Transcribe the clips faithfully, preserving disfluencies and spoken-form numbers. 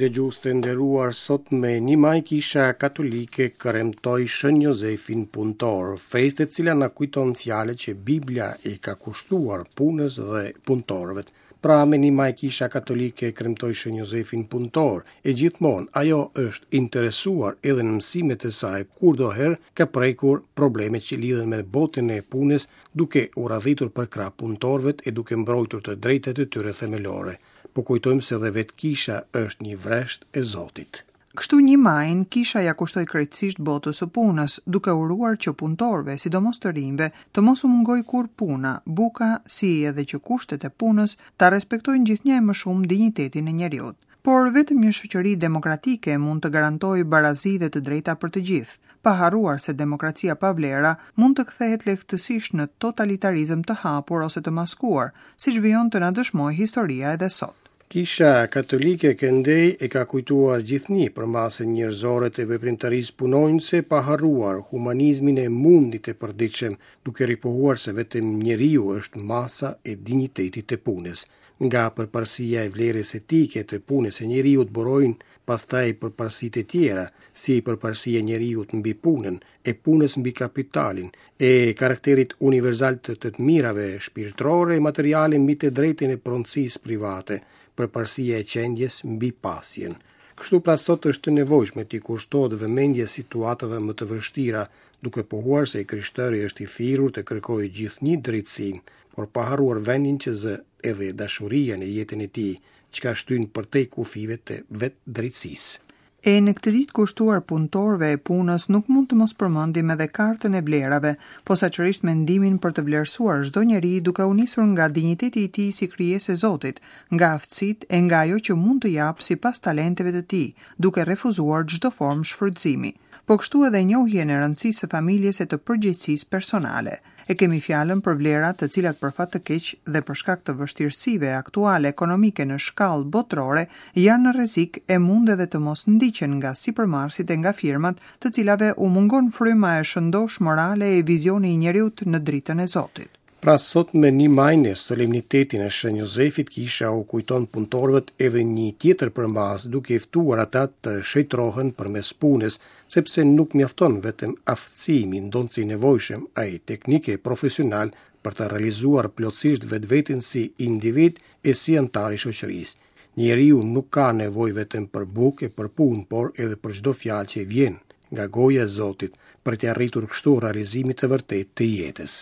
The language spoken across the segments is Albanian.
Dëgjues të nderuar, sot me një maj Kisha Katolike kremtoi Shën Jozefin punëtor, festë e cila na kujton fjalët që Biblia i ka kushtuar punës dhe punëtorëve. Pra me një maj Kisha Katolike kremtoi Shën Jozefin punëtor, e gjithmonë ajo është interesuar edhe në mësimet e saj kurdoherë ka prekur problemet që lidhen me botën e punës, duke u radhitur përkrah punëtorëve e duke mbrojtur të drejtat e tyre themelore. Po kujtojmë se edhe vetë kisha është një vresht e Zotit. Kështu një majin, kisha ja kushtoi krejtësisht botës së punës, duke uruar që punëtorëve, sidomos të rinjve, të mos u mungojë kurrë puna, buka, si edhe që kushtet e punës ta respektojnë gjithnjë e më shumë dinjitetin e njeriut. Por vetëm një shoqëri demokratike mund të garantojë barazi dhe të drejta për të gjithë, pa harruar se demokracia pa vlera mund të kthehet lehtësisht në totalitarizëm të hapur ose të maskuar, siç vijon të na dëshmojë historia edhe sot. Kisha Katolike këndej e ka kujtuar gjithnjë për masën njerëzore të veprimtarisë punonjëse, pa harruar humanizmin e mundit të përditshëm, duke ripohuar se vetëm njeriu është masa e dinjitetit të punës. Nga përparësia e vlerës etike të punës së njeriut burojnë pastaj përparësitë e tjera, si përparësia e njeriut mbi punën, e punës mbi kapitalin, e karakterit universal të të mirave shpirtërore e materiale mbi të drejtën e pronësisë private, përparësia e qendjes mbi pasjen. Kështu pra sot është e nevojshme t'i kushtohet vëmendje situatave më të vështira, duke pohuar se i krishtëri është i thirrur të kërkojë gjithnjë drejtësinë, por pa harruar vendin që zë edhe dashuria në jetën e tij, çka shtyn përtej kufive të vetë drejtësisë. E në këtë ditë kushtuar punëtorëve e punës nuk mund të mos përmendim edhe kartën e vlerave, posaçërisht mendimin për të vlerësuar çdo njeri duke u nisur nga dinjiteti i tij si krijesë e Zotit, nga aftësitë e nga ajo që mund të japë sipas talenteve të tij, duke refuzuar çdo formë shfrytëzimi. Po kështu edhe njohjen e rëndësisë së familjes e të përgjegjësisë personale. E kemi fjalën për vlera të cilat për fat të keq dhe për shkak të vështirësive aktuale ekonomike në shkallë botërore janë në rrezik e mund edhe të mos ndiqen nga sipërmarrësit e nga firmat, të cilave u mungon fryma e shëndosh morale e vizioni i njeriut në dritën e Zotit. Pra sot me një maj në solemnitetin e Shën Jozefit, kisha u kujton punëtorëve edhe një tjetër përmas, duke i ftuar ata të shëtrohen përmes punës, sepse nuk mjafton vetëm aftësimi, ndonëse i nevojshëm, ai teknik e profesional për të realizuar plotësisht vetveten si individ e si antar i shoqërisë. Njeriu nuk ka nevojë vetëm për bukë e për punë, por edhe për çdo fjalë që vjen nga goja e Zotit, për të arritur kështu realizimit të vërtetë të jetës.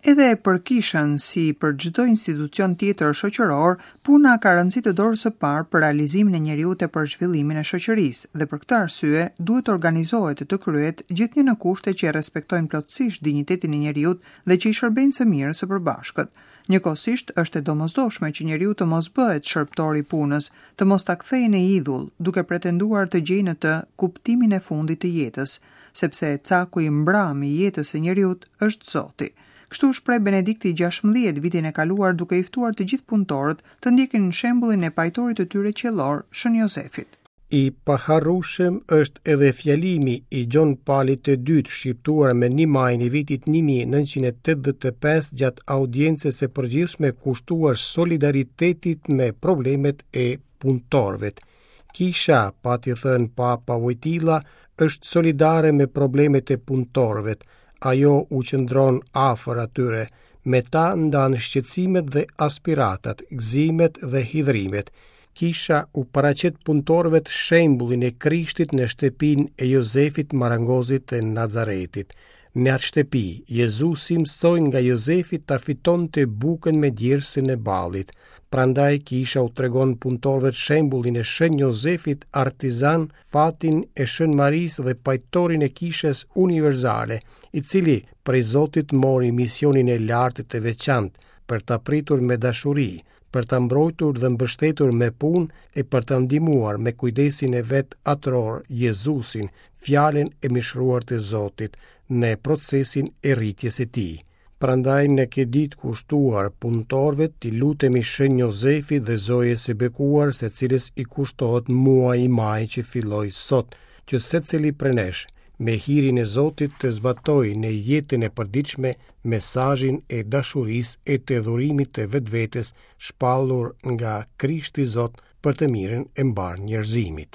Edhe për kishën, si për çdo institucion tjetër shoqëror, puna ka rëndësi të dorës së parë për realizimin e njeriut e për zhvillimin e shoqërisë, dhe për këtë arsye duhet të organizohet e të kryhet gjithnjë në kushte që e respektojnë plotësisht dinjitetin e njeriut dhe që i shërbejnë së mirës së përbashkët. Njëkohësisht është e domosdoshme që njeriu të mos bëhet shërbëtor i punës, të mos ta kthejë në idhull, duke pretenduar të gjejë në të kuptimin e fundit të jetës, sepse caku i mbram i jetës së njeriut është Zoti. Kështu shpreh Benedikti gjashtëmbëdhjetë vitin e kaluar duke i ftuar të gjithë punëtorët të ndjekin shembullin e pajtorit të tyre qiellor, Shën Jozefit. I paharrueshëm është edhe fjalimi i Gjon Palit të dytë shqiptuar me një majin e vitit një mijë e nëntëqind e tetëdhjetë e pesë gjatë audiencës së përgjithshme kushtuar solidaritetit me problemet e punëtorëve. Kisha, pati thënë Papa Wojtyla, është solidare me problemet e punëtorëve. Ajo u qëndron afër atyre, me ta ndan shqetësimet dhe aspiratat, gëzimet dhe hidhrimet. Kisha u paraqet punëtorëve të shembullin e Krishtit në shtëpinë e Jozefit Marangozit të Nazaretit. Në atë shtëpi, Jezusi mësoi nga Jozefi ta fitonte bukën me djersën e ballit. Prandaj kisha u tregon punëtorëve të shembullin e Shën Jozefit artizan, fatin e Shën Marisë dhe pajtorin e kishës universale, i cili prej Zotit mori misionin e lartë të veçantë për ta pritur me dashuri, për ta mbrojtur dhe mbështetur me punë e për ta ndihmuar me kujdesin e vet atëror Jezusin, fjalën e mishruar të Zotit, në procesin e rritjes së tij. Prandaj në këtë ditë kushtuar punëtorëve t'i lutemi Shën Jozefit dhe Zojës së Bekuar, se cilës i kushtohet muaji maj që filloi sot, që secili prej nesh me hirin e Zotit të zbatojë në jetën e përditshme mesazhin e dashurisë e të dhurimit të vetvetes shpallur nga Krishti Zot për të mirën e mbarë njerëzimit.